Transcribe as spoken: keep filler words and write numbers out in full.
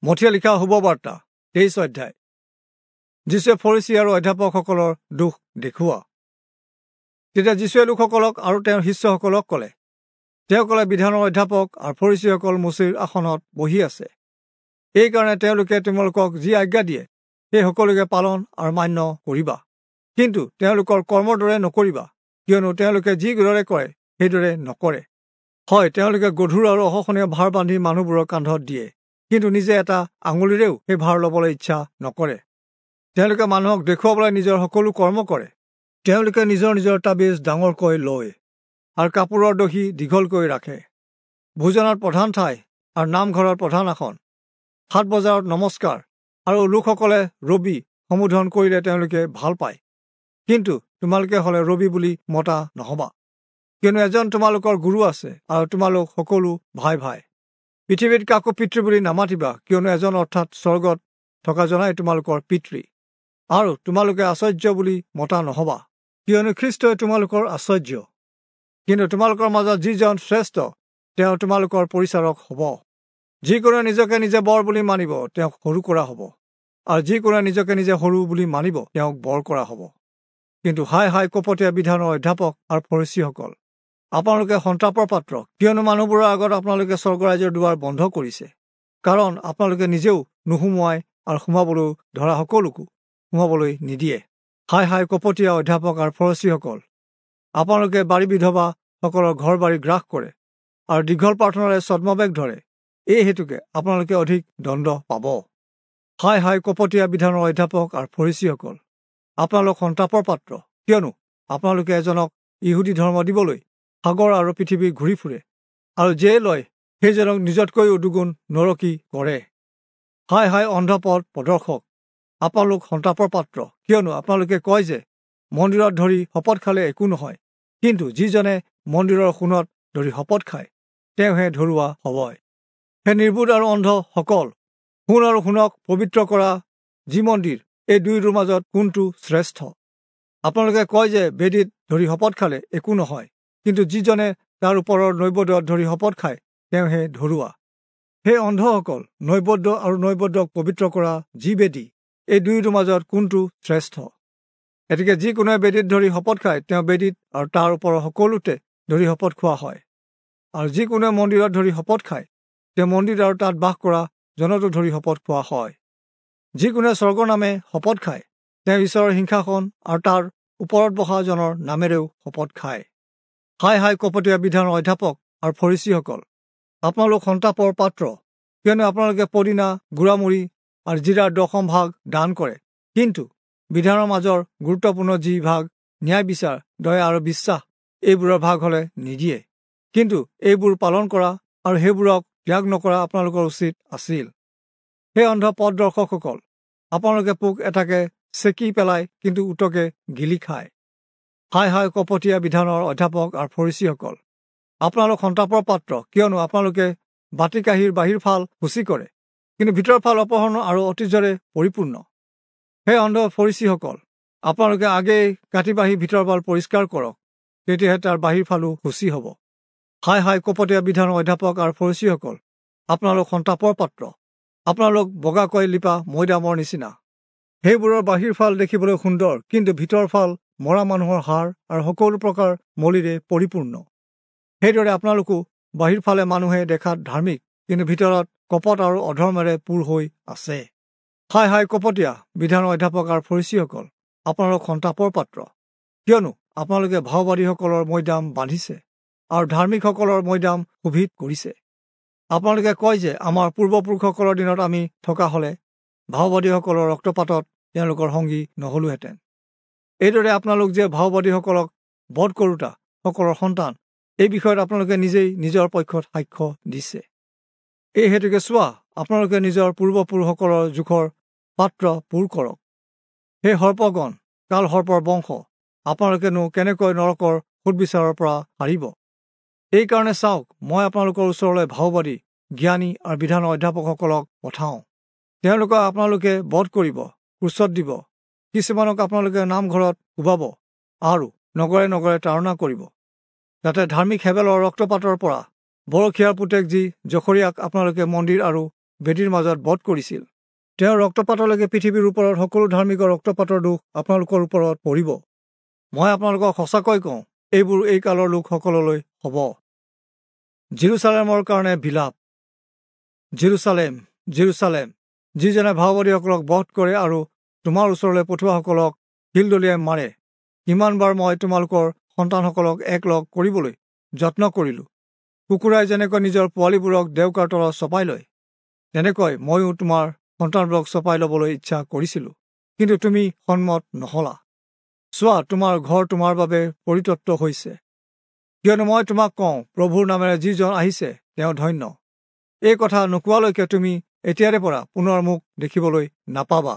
মথিয়ে লিখা শুভবাৰ্তা তেইছ অধ্যায়। যীশুৱে ফৰীচী আৰু অধ্যাপকসকলৰ দোষ দেখুওৱা। তেতিয়া যীশুৱে লোকসকলক আৰু তেওঁৰ শিষ্যসকলক ক'লে, তেওঁ ক'লে, বিধানৰ অধ্যাপক আৰু ফৰীচীসকল মোচিৰ আসনত বহি আছে। এইকাৰণে তেওঁলোকে তোমালোকক যি আজ্ঞা দিয়ে সেই সকলোকে পালন আৰু মান্য কৰিবা, কিন্তু তেওঁলোকৰ কৰ্মৰ দৰে নকৰিবা, কিয়নো তেওঁলোকে যিদৰে কৰে সেইদৰে নকৰে। হয়, তেওঁলোকে গধুৰ আৰু অসহনীয় ভাৰ বান্ধি মানুহবোৰৰ কান্ধত দিয়ে, কিন্তু নিজে এটা আঙুলিৰেও সেই ভাৰ ল'বলৈ ইচ্ছা নকৰে। তেওঁলোকে মানুহক দেখুৱাবলৈ নিজৰ সকলো কৰ্ম কৰে। তেওঁলোকে নিজৰ নিজৰ তাবিজ ডাঙৰকৈ লয় আৰু কাপোৰৰ দহি দীঘলকৈ ৰাখে। ভোজনত প্ৰধান ঠাই আৰু নামঘৰত প্ৰধান আসন, হাট বজাৰত নমস্কাৰ আৰু লোকসকলে ৰবি সম্বোধন কৰিলে তেওঁলোকে ভাল পায়। কিন্তু তোমালোকে হ'লে ৰবি বুলি মতা নহবা, কিয়নো এজন তোমালোকৰ গুৰু আছে আৰু তোমালোক সকলো ভাই ভাই। পৃথিৱীত কাকো পিতৃ বুলি নামাতিবা, কিয়নো এজন অৰ্থাৎ স্বৰ্গত থকা জনাই তোমালোকৰ পিতৃ। আৰু তোমালোকে আশ্চৰ্য বুলি মতা নহবা, কিয়নো খ্ৰীষ্টই তোমালোকৰ আশ্চৰ্য। কিন্তু তোমালোকৰ মাজত যিজন শ্ৰেষ্ঠ তেওঁ তোমালোকৰ পৰিচাৰক হ'ব। যিকোনোৱে নিজকে নিজে বৰ বুলি মানিব তেওঁক সৰু কৰা হ'ব, আৰু যিকোনোৱে নিজকে নিজে সৰু বুলি মানিব তেওঁক বৰ কৰা হ'ব। কিন্তু হায় হায় কপটীয়া বিধানৰ অধ্যাপক আৰু ফৰীচীসকল, আপোনালোকে সন্তাপৰ পাত্ৰ, কিয়নো মানুহবোৰৰ আগত আপোনালোকে স্বৰ্গৰাজ্যৰ দুৱাৰ বন্ধ কৰিছে। কাৰণ আপোনালোকে নিজেও নোসোমোৱাই আৰু সোমাবলৈ ধৰা সকলোকো সোমাবলৈ নিদিয়ে। হায় হায় কপটীয়া অধ্যাপক আৰু ফৰীচীসকল, আপোনালোকে বাৰী বিধৱাসকলৰ ঘৰ বাৰী গ্ৰাস কৰে আৰু দীঘল প্ৰাৰ্থনাৰে ছদ্মবেশ ধৰে, এই হেতুকে আপোনালোকে অধিক দণ্ড পাব। হায় হায় কপটীয়া বিধানৰ অধ্যাপক আৰু ফৰীচীসকল, আপোনালোক সন্তাপৰ পাত্ৰ, কিয়নো আপোনালোকে এজনক ইহুদী ধৰ্ম দিবলৈ সাগৰ আৰু পৃথিৱী ঘূৰি ফুৰে, আৰু যিয়ে লয় সেইজনক নিজতকৈও দুগুণ নৰকী কৰে। হায় হায় অন্ধপথ প্ৰদৰ্শক, আপোনালোক সন্তাপৰ পাত্ৰ, কিয়নো আপোনালোকে কয় যে মন্দিৰত ধৰি শপত খালে একো নহয়, কিন্তু যিজনে মন্দিৰৰ সোণত ধৰি শপত খায় তেওঁহে ধৰুৱা হ'বই। হে নিৰ্বোধ আৰু অন্ধসকল, সোণ আৰু সোণক পবিত্ৰ কৰা যি মন্দিৰ, এই দুয়োটোৰ মাজত কোনটো শ্ৰেষ্ঠ? আপোনালোকে কয় যে বেদীত ধৰি শপত খালে একো নহয়, কিন্তু যিজনে তাৰ ওপৰৰ নৈবেদ্যত ধৰি শপত খায় তেওঁহে ধৰুৱা। হে অন্ধসকল, নৈবেদ্য আৰু নৈবেদ্যক পবিত্ৰ কৰা যি বেদী, এই দুয়োটোৰ মাজত কোনটো শ্ৰেষ্ঠ? এতেকে যিকোনোৱে বেদীত ধৰি শপত খায় তেওঁ বেদীত আৰু তাৰ ওপৰৰ সকলোতে ধৰি শপত খোৱা হয়, আৰু যিকোনোৱে মন্দিৰত ধৰি শপত খায় তেওঁ মন্দিৰ আৰু তাত বাস কৰা জনতো ধৰি শপত খোৱা হয়। যিকোনোৱে স্বৰ্গৰ নামে শপত খায় তেওঁ ঈশ্বৰৰ সিংহাসন আৰু তাৰ ওপৰত বহা জনৰ নামেৰেও শপত খায়। হায় হায় কপটীয়া বিধানৰ অধ্যাপক আৰু ফৰীচীসকল, আপোনালোক সন্তাপৰ পাত্ৰ, কিয়নো আপোনালোকে পদিনা, গুড়ামুড়ি আৰু জিৰাৰ দশম ভাগ দান কৰে, কিন্তু বিধানৰ মাজৰ গুৰুত্বপূৰ্ণ যি ভাগ ন্যায় বিচাৰ, দয়া আৰু বিশ্বাস, এইবোৰৰ ভাগ হ'লে নিদিয়ে। কিন্তু এইবোৰ পালন কৰা আৰু সেইবোৰক ত্যাগ নকৰা আপোনালোকৰ উচিত আছিল। সেই অন্ধ পথদৰ্শকসকল, আপোনালোকে পোক এটাকে চেকি পেলায়, কিন্তু উটকে গিলি খায়। হায় হায় কপটীয়া বিধানৰ অধ্যাপক আৰু ফৰীচীসকল, আপোনালোক সন্তাপৰ পাত্ৰ, কিয়নো আপোনালোকে বাতি কাঁহীৰ বাহিৰ ফাল সূচী কৰে, কিন্তু ভিতৰৰ ফাল অপহৰণ আৰু ঐতিহ্যৰে পৰিপূৰ্ণ। হে অন্ধ ফৰীচীসকল, আপোনালোকে আগেয়ে কাটি বাঢ়ি ভিতৰৰ ফাল পৰিষ্কাৰ কৰক, তেতিয়াহে তাৰ বাহিৰ ফালো সূচী হ'ব। হায় হায় কপটীয়া বিধানৰ অধ্যাপক আৰু ফৰীচীসকল, আপোনালোক সন্তাপৰ পাত্ৰ, আপোনালোক বগাকৈ লিপা মৈদামৰ নিচিনা। সেইবোৰৰ বাহিৰ ফাল দেখিবলৈ সুন্দৰ, কিন্তু ভিতৰৰ ফাল মৰা মানুহৰ হাড় আৰু সকলো প্ৰকাৰ মলিৰে পৰিপূৰ্ণ। সেইদৰে আপোনালোকো বাহিৰ ফালে মানুহে দেখাত ধাৰ্মিক, কিন্তু ভিতৰত কপট আৰু অধৰ্মেৰে পূৰ হৈ আছে। হায় হায় কপটীয়া বিধানৰ অধ্যাপক আৰু ফৰীচীসকল, আপোনালোক সন্তাপৰ পাত্ৰ, কিয়নো আপোনালোকে ভাওবাদীসকলৰ মৈদাম বান্ধিছে আৰু ধাৰ্মিকসকলৰ মৈদাম শোভিত কৰিছে। আপোনালোকে কয় যে আমাৰ পূৰ্বপুৰুষসকলৰ দিনত আমি থকা হ'লে ভাওবাদীসকলৰ ৰক্তপাতত তেওঁলোকৰ সংগী নহ'লোহেঁতেন। এইদৰে আপোনালোক যে ভাওবাদীসকলক বধ কৰোতা সকলৰ সন্তান, এই বিষয়ত আপোনালোকে নিজেই নিজৰ পক্ষত সাক্ষ্য দিছে। এই হেতুকে চোৱা, আপোনালোকে নিজৰ পূৰ্বপুৰুষসকলৰ জোখৰ পাত্ৰ পূৰ কৰক। হে সৰ্পগণ, কাল সৰ্পৰ বংশ, আপোনালোকেনো কেনেকৈ নৰকৰ সোধবিচাৰৰ পৰা সাৰিব? এইকাৰণে চাওক, মই আপোনালোকৰ ওচৰলৈ ভাওবাদী, জ্ঞানী আৰু বিধানৰ অধ্যাপকসকলক পঠাওঁ। তেওঁলোকক আপোনালোকে বধ কৰিব, ক্ৰুচত দিব, কিছুমানক আপোনালোকে নামঘৰত কোবাব আৰু নগৰে নগৰে তাড়না কৰিব, যাতে ধাৰ্মিক হেবেলৰ ৰক্তপাতৰ পৰা বৰখীয়াৰ পুতেক যি জখৰীয়াক আপোনালোকে মন্দিৰ আৰু বেদীৰ মাজত বধ কৰিছিল। তেওঁৰ ৰক্তপাতলৈকে পৃথিৱীৰ ওপৰত সকলো ধাৰ্মিকৰ ৰক্তপাতৰ দোষ আপোনালোকৰ ওপৰত পৰিব। মই আপোনালোকক সঁচাকৈ কওঁ, এইবোৰ এই কালৰ লোকসকললৈ হ'ব। জিৰচালেমৰ কাৰণে বিলাপ। জিৰচালেম, জিৰচালেম, যিজনে ভাওবাদীসকলক বধ কৰে আৰু তোমাৰ ওচৰলৈ পঠোৱাসকলক শিল দলিয়াই মাৰে, কিমানবাৰ মই তোমালোকৰ সন্তানসকলক একলগ কৰিবলৈ যত্ন কৰিলোঁ। কুকুৰাই যেনেকৈ নিজৰ পোৱালীবোৰক ডেউকাৰ তলত চপাই লয়, তেনেকৈ ময়ো তোমাৰ সন্তানবোৰক চপাই ল'বলৈ ইচ্ছা কৰিছিলোঁ, কিন্তু তুমি সন্মত নহলা। চোৱা, তোমাৰ ঘৰ তোমাৰ বাবে পৰিত্যক্ত হৈছে। কিয়নো মই তোমাক কওঁ, প্ৰভুৰ নামেৰে যিজন আহিছে তেওঁ ধন্য। এই কথা নোকোৱালৈকে তুমি এতিয়াৰে পৰা পুনৰ মোক দেখিবলৈ নাপাবা।